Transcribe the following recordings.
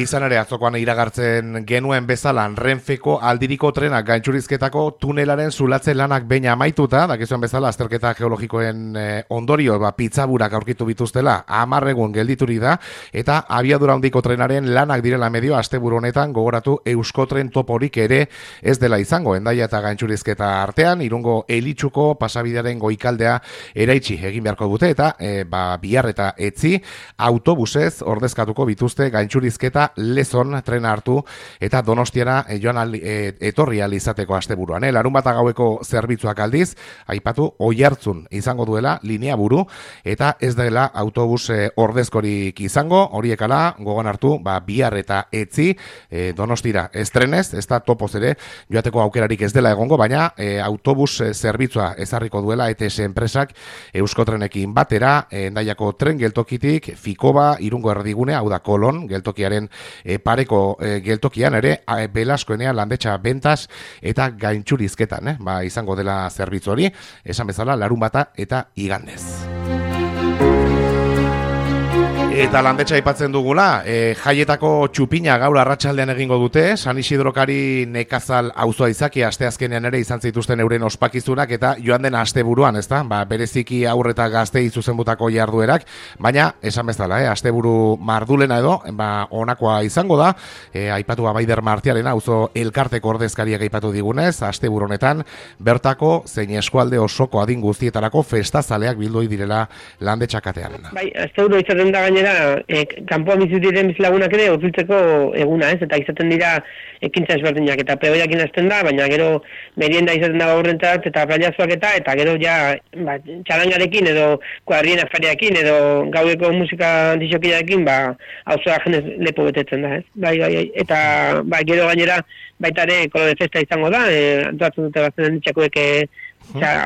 Izan ere, atzokoan iragartzen genuen bezala, Renfeko aldiriko trenak gaintxurizketako tunelaren zulatze lanak behin amaituta, dakizuen bezala, azterketa geologikoen ondorio, pitzaburak aurkitu bituztela, 10 egun gelditurik da, eta abiadura handiko trenaren lanak direla medio, asteburu honetan gogoratu Euskotren toporik ere ez dela izango, Hendaia eta gaintxurizketa artean, Irungo Elitxuko pasabidearen goikaldea eraitsi egin beharko dute, eta bihar eta etzi autobusez ordezkatuko bituzte gaintxurizketa Lezon trena hartu eta Donostiara joan etorri ahal izateko asteburuan. Larunbata gaueko zerbitzuak aldiz, aipatu Oiartzun izango duela linea buru eta ez dela autobus ordezkorik izango, horiekala gogoan hartu, bihar eta etzi Donostira estrenez, ez da topoz ere joateko aukerarik ez dela egongo, baina autobus zerbitzua ezarriko duela ETS enpresak Euskotrenekin batera, Hendaiako tren geltokitik Fikoba, Irungo erdigunea, hau da Kolon geltokiaren pareko geltokian ere Belaskoenean Landetxa Bentas eta gaintxurizketan izango dela zerbitzu hori, esan bezala larunbata eta igandez. Eta Landetxa aipatzen dugula, jaietako txupina gaur arratsaldean egingo dute, San Isidrokari nekazal auzoa izaki asteazkenean ere izan zituzten euren ospakizunak eta joan den asteburuan, ezta? Bereziki haur eta gaztei zuzenbutako jarduerak, baina esan bezala, asteburu mardulena edo, honakoa izango da, aipatu Abaider Martiarena auzo elkarteko ordezkariak aipatu digunez, asteburu honetan bertako zein eskualde osoko adin guztietarako festazaleak bildoi direla Landetxa katean. Bai, asteburu izaten da gainera kanpoan bizi diren bizilagunak ere urbiltzeko eguna, ez? Eta izaten dira ekintza ezberdinak eta pegoiakin hasten da, baina gero merienda izaten da gaurrentzat eta playazoak eta gero ja txalangarekin edo kuadrien afariakin edo gaudeko musika disokiarekin auzoa jenez lepo betetzen da, ez? Bai, eta gero gainera baita ere kolore festa izango da, antolatzen dute bazen ditxakoek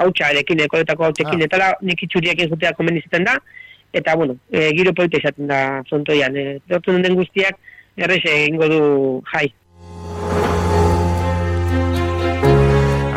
hautsarekin, koletako hautsekin, eta nik itxuriakin jutea komen izaten da. Eta, giro polita izaten da frontoian. Dortzen den guztiak errexe egingo du jai.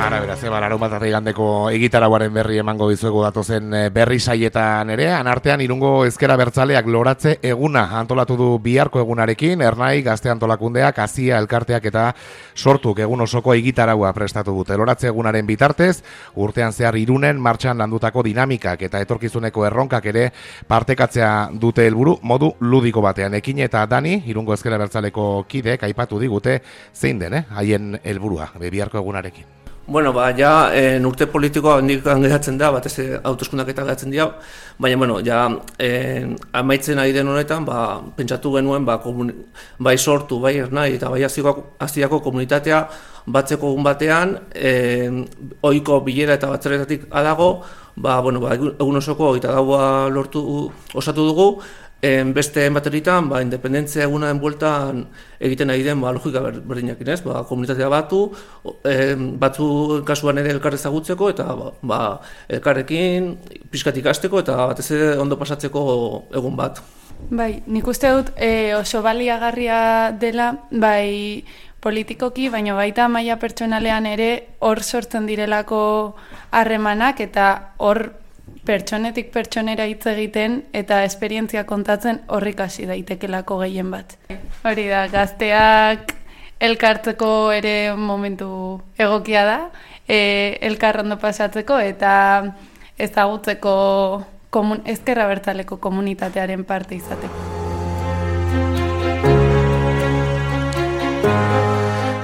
Ara, beraz, larunbat eta igandeko egitarauaren berri emango dizuegu datozen berri saietan ere. Anartean, Irungo Ezker Abertzaleak loratze eguna antolatu du biharko egunarekin, Ernai, Gazte Antolakundeak, Azia elkarteak eta Sortuk egun osoko egitaraua prestatu dute. Loratze egunaren bitartez, urtean zehar Irunen martxan landutako dinamikak eta etorkizuneko erronkak ere partekatzea dute helburu modu ludiko batean. Ekin eta Dani, Irungo Ezker Abertzaleko kideek aipatu digute zein den, haien helburua biharko egunarekin. Bueno, ja, urte politikoa hendik geratzen da, batez hauteskundak eta geratzen dira, baina, amaitzen ari den honetan, pentsatu genuen, bai Sortu, bai Ernai eta bai Aziako komunitatea batzeko egun batean, ohiko bilera eta batzaretatik adago, egun osoko eta dagoa osatu dugu, beste bateritan, independentzia egunaren bueltan egiten ari den logika berdinakin, ez? Komunitatea batzu kasuan ere elkar ezagutzeko eta elkarrekin pixkat ikasteko eta batez ere ondo pasatzeko egun bat. Bai, nik uste dut oso baliagarria dela, bai politikoki, baina baita maila pertsonalean ere hor sortzen direlako harremanak eta hor pertsonetik pertsonera hitz egiten eta esperientzia kontatzen horrik hasi daitekelako gehien bat. Hori da, gazteak elkartzeko ere momentu egokia da, elkar ondo pasatzeko eta ezagutzeko Ezker Abertzaleko komunitatearen parte izateko.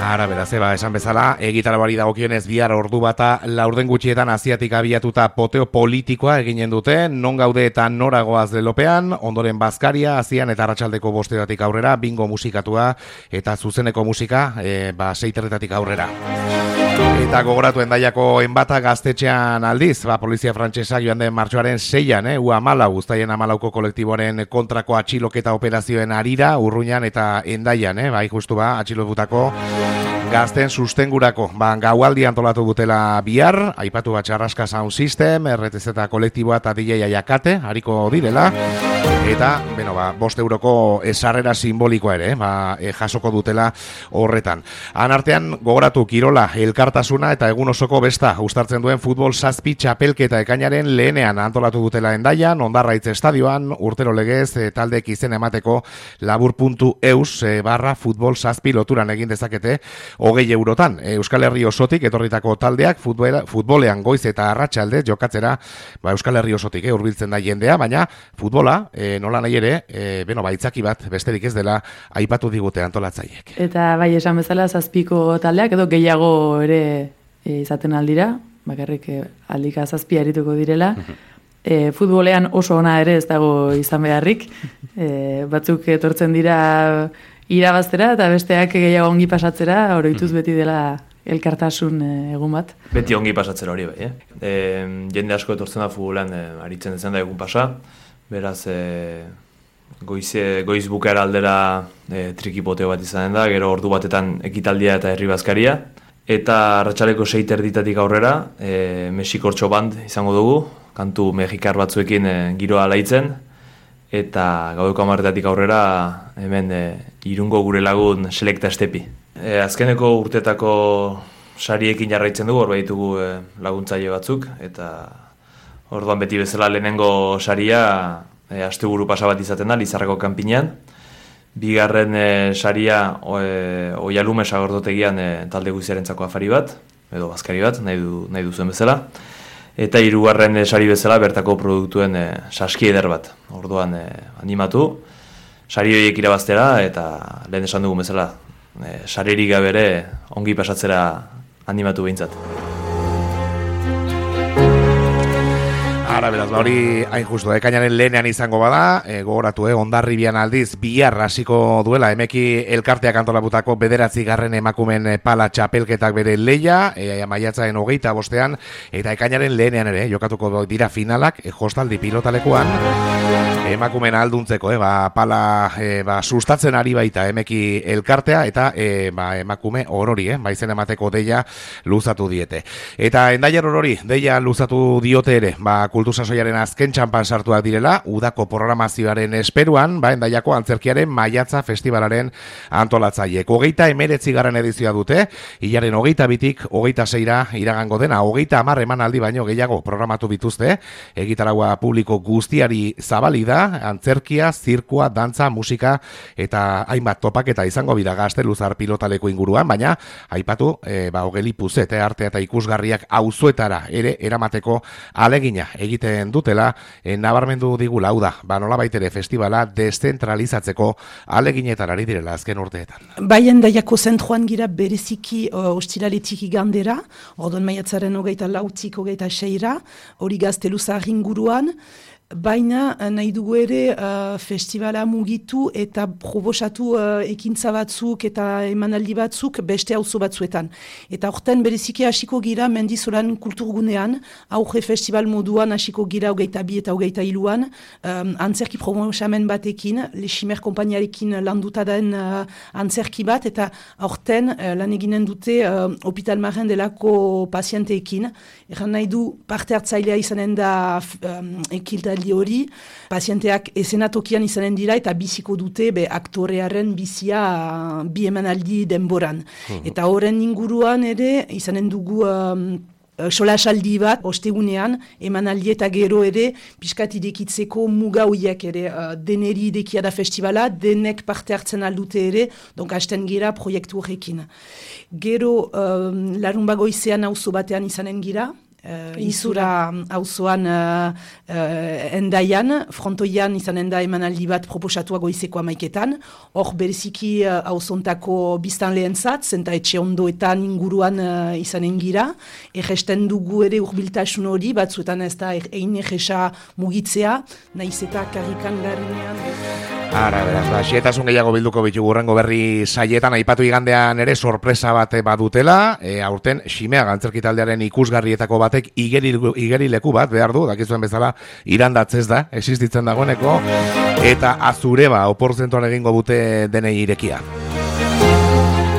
Ara, beraz, esan bezala, egitarauari dagokionez bihar ordu bata laurden gutxietan Aziatik abiatuta poteo politikoa eginen dute, non gaude eta noragoaz lelopean, ondoren Bazkaria, Azian eta arratsaldeko 5:00 aurrera, bingo musikatua eta zuzeneko musika, 6:00 aurrera. Eta gogoratu Hendaiako enbata gaztetxean aldiz, polizia frantsesak joan den martxoaren 6an, U14, Uztaien 14ko kolektiboaren kontrako atxiloketa operazioen arira, Urruñan eta Hendaian, justu atxilotutako Gazten sustengurako, gaualdi antolatu dutela bihar, aipatu bat Txarraska Sound System, RTZ kolektiboa eta DJ Jakate, hariko direla, eta, 5 euroko sarrera simbolikoa ere, jasoko dutela horretan. Han artean, gogoratu kirola, elkartasuna eta egun osoko besta, uztartzen duen futbol 7 txapelketa ekainaren lehenean antolatu dutela Hendaian, Ondarraitz estadioan, urtero legez, taldek izen emateko labur.eus /futbol 7 loturan egin dezakete, 20 eurotan. Euskal Herri osotik etorritako taldeak futbolean goiz eta arratsalde jokatzera Euskal Herri osotik hurbiltzen da jendea, baina futbola nola nahi ere, itzaki bat besterik ez dela aipatu digute antolatzaileek. Eta bai esan bezala 7ko taldeak edo gehiago ere izaten aldira, bakarrik aldika 7 arituko direla. Futbolean oso ona ere ez dago izan beharrik, batzuk etortzen dira irabaztera eta besteak gehiago ongi pasatzera, oroituz beti dela elkartasun egun bat. Beti ongi pasatzera hori bai, jende asko etortzen da futbolean aritzen dezen da egun pasa, beraz goiz bukaera aldera trikipoteo bat izanen da, gero ordu batetan ekitaldia eta herri bazkaria, eta arratsaleko 6:30 aurrera Mexikortxo band izango dugu, kantu mexikar batzuekin giroa alaitzen, eta gaueko 10:00 aurrera hemen Irungo gure lagun Selekta Estepi. Azkeneko urtetako sariekin jarraitzen dugu, hor baitugu laguntzaile batzuk, eta orduan beti bezala lehenengo saria asteburu pasa bat izaten da, Lizarrako kanpinean. Bigarren saria Oialume sagordotegian talde guziarentzako afari bat, edo bazkari bat, nahi duzuen bezala. Eta 3. sari bezala bertako produktuen saski eder bat. Orduan animatu, sari horiek irabaztera eta lehen esan dugu bezala, saririk gabe ere ongi pasatzera animatu behintzat. Ara, beraz, hori hain justu, ekainaren lehenean izango bada, gogoratu, Hondarribian aldiz, bihar hasiko duela, emeki elkarteak antolaputako 9. emakumen pala txapelketak bere leia, maiatzaren 25 eta ekainaren lehenean ere, jokatuko dira finalak, jostaldi pilotalekuan, emakumen alduntzeko, pala sustatzen ari baita emeki elkartea, eta emakume orori, baizen emateko deia luzatu diete. Eta Hendaiar orori, deia luzatu diote ere, kultu sasoiaren azken txanpan sartuak direla, udako programazioaren esperuan, Hendaiako antzerkiaren maiatza festivalaren antolatzailek. 29. edizioa dute, hilaren 22-tik 26-ra iragango dena, 30 emanaldi baino gehiago programatu bituzte, egitaragua publiko guztiari zabali da, antzerkia, zirkua, dantza, musika eta hainbat topaketa izango bida Gazteluzar pilotaleko inguruan, baina aipatu Ogeli Puzete artea eta ikusgarriak auzoetara ere eramateko alegina egiten dutela, nabarmendu digula, hau da, nolabait ere festivala deszentralizatzeko aleginetan ari direla azken urteetan. Bai, Hendaiako zentroan gira bereziki ostiraletik igandera, ordon maiatzaren 24-tik 26-ra, hori Gazteluzar inguruan, baina nahi dugu ere festivala mugitu eta proposatu ekintza batzuk eta emanaldi batzuk beste auzo batzuetan. Eta horten bereziki hasiko gira Mendizolan kulturgunean, aurre festival moduan hasiko gira 22 eta 23an, antzerki promosamen batekin, Leximer konpainiarekin landuta den antzerki bat, eta horten lan eginen dute Hospital Marren delako pazienteekin. Eran nahi du parte hartzailea izanen da ekilta hori, pazienteak esenatokian izanen dira eta biziko dute aktorearen bizia bi emanaldi denboran. Eta horren inguruan ere izanen dugu solasaldi bat, ostegunean, emanaldi eta gero ere, pixkat idekitzeko muga hoiek ere, deneri idekia da festivala, denek parte hartzen aldute ere, donk hasten gira proiektu horrekin. Gero, larun bagoizean auzo batean izanen gira, Izura auzoan Hendaian, frontoian izanen da emanaldi bat proposatua goizeko 11etan, hor bereziki auzontako biztan lehentzat, zenta etxe ondoetan inguruan izanen gira, erresten dugu ere urbiltasun hori, batzuetan ez da egin erresa mugitzea, nahiz eta karrikan garrinean. Ara, beraz, xietasun gehiago bilduko bitugu urrengo berri saietan, aipatu igandean ere sorpresa bat badutela, aurten Ximeaga antzerki taldearen ikusgarrietako batek igerileku bat behar du, dakizuen bezala irandatzez da, existitzen dagoeneko, eta Azureba oporzentuan egingo dute denei irekia.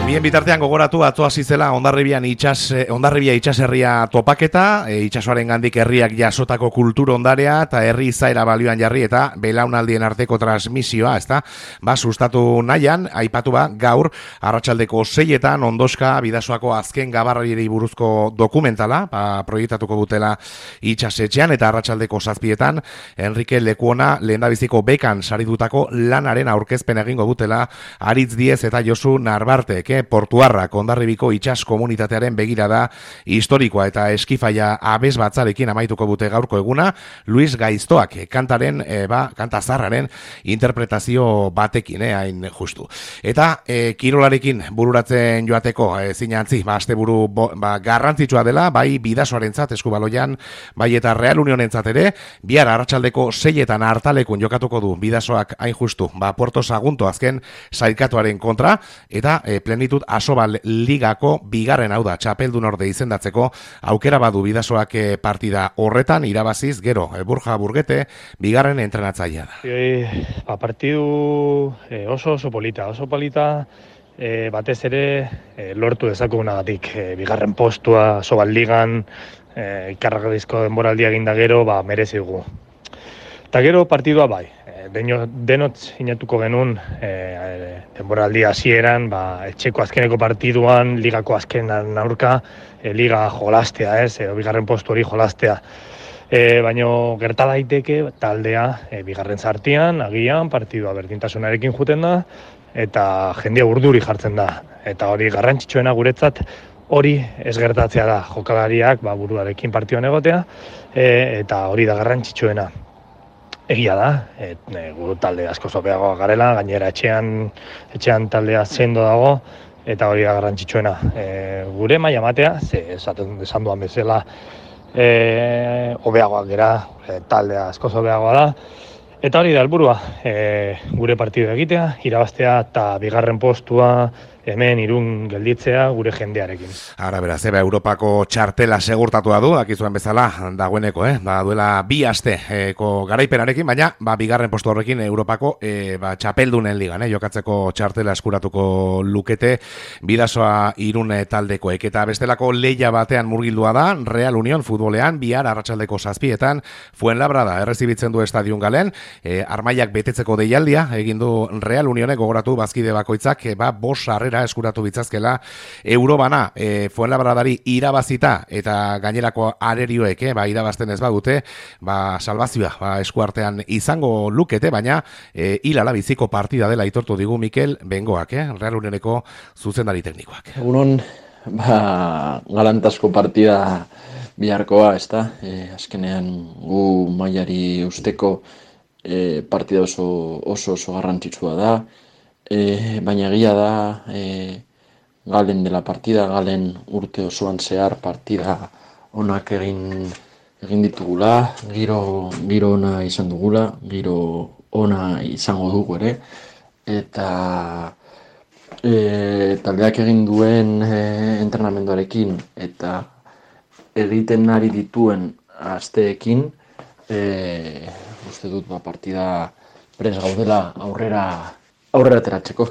Bien bitartean gogoratu atzo hasi zela Hondarribia itxaserria topaketa, itxasoaren gandik herriak jasotako kultur ondarea eta herri izaera balioan jarri eta belaunaldien arteko transmisioa, ezta? Sustatu nahian, aipatu gaur arratsaldeko 6etan Ondoska Bidasoako azken gabarrari buruzko dokumentala, proiektatuko dutela itxasetxean eta arratsaldeko 7etan Enrique Lekuona lehendabiziko bekan saritutako lanaren aurkezpen egingo dutela Aritz Diez eta Josu Narbartek, Portuarrak Hondarribiko itsas komunitatearen begirada historikoa eta eskifaia abes batzarekin amaituko dute gaurko eguna, Luis Gaiztoak kantaren, kanta zarraren interpretazio batekin, hain justu. Eta kirolarekin bururatzen joateko, zinantzi, asteburu garrantzitsua dela, bai Bidasoarentzat eskubaloian, bai eta Real Unionentzat ere, bihar arratsaldeko 6etan hartalekun jokatuko du Bidasoak hain justu, Puerto Sagunto azken sailkatuaren kontra, eta Plenitud Asobal Ligako bigarren, hau da, txapeldun orde izendatzeko aukera badu Bidasoak partida horretan irabaziz, gero, Burja Burgete bigarren entrenatzailea da. Partidu oso polita, batez ere lortu dezakugunagatik, bigarren postua Asobal Ligan, ikarragadizko denboraldia eginda gero, merezi dugu. Eta gero partidua bai, denot sinatuko genuen denboraldi hasieran, etxeko azkeneko partiduan, ligako azkenan aurka, liga jolastea, edo bigarren postu hori jolastea. Baina gerta daiteke taldea bigarren sartian, agian, partidua berdintasunarekin juten da, eta jendea urduri jartzen da. Eta hori garrantzitsuena guretzat, hori ez gertatzea da, jokalariak buruarekin partioan egotea, eta hori da garrantzitsuena. Egia da, guru talde asko zopeagoa garela, gainera etxean taldea sendo dago, eta hori da garrantzitsuena. Gure maila matea, esan duan bezala, hobeagoak gera, taldea asko zopeagoa da, eta hori da helburua, gure partidu egitea, irabaztea eta bigarren postua, hemen Irun gelditzea gure jendearekin. Ara beraz, Europako txartela segurtatua du, dakizuen bezala, dagoeneko, duela 2 asteko garaipenarekin, baina bigarren postu horrekin Europako txapeldunen ligan, jokatzeko txartela eskuratuko lukete Bidasoa Irun taldekoek. Eta bestelako leia batean murgildua da, Real Union futbolean, bihar arratsaldeko 7etan Fuenlabrada errezibitzen du estadion galen, armaiak betetzeko deialdia, egin du Real Unionek gogoratu bazkide bakoitzak, 5 sarrera eskuratu bitzazkela Eurobana Fuenlabradari irabazita eta gainerako arerioek irabazten ez badute, salvazioa eskuartean izango lukete, baina hilala biziko partida dela aitortu digu Mikel Bengoak, Real Unioneko zuzendari teknikoak. Egunon, galantasko partida biharkoa, ezta? Azkenean gu mailari usteko partida oso garrantzitsua da. Baina egia da Galen dela partida, Galen urte osoan zehar partida onak egin ditugula, giro ona izan dugula, giro ona izango dugu ere, eta taldeak egin duen entrenamenduarekin eta egiten ari dituen asteekin, uste dut partida prest gaudela aurrera ateratzeko.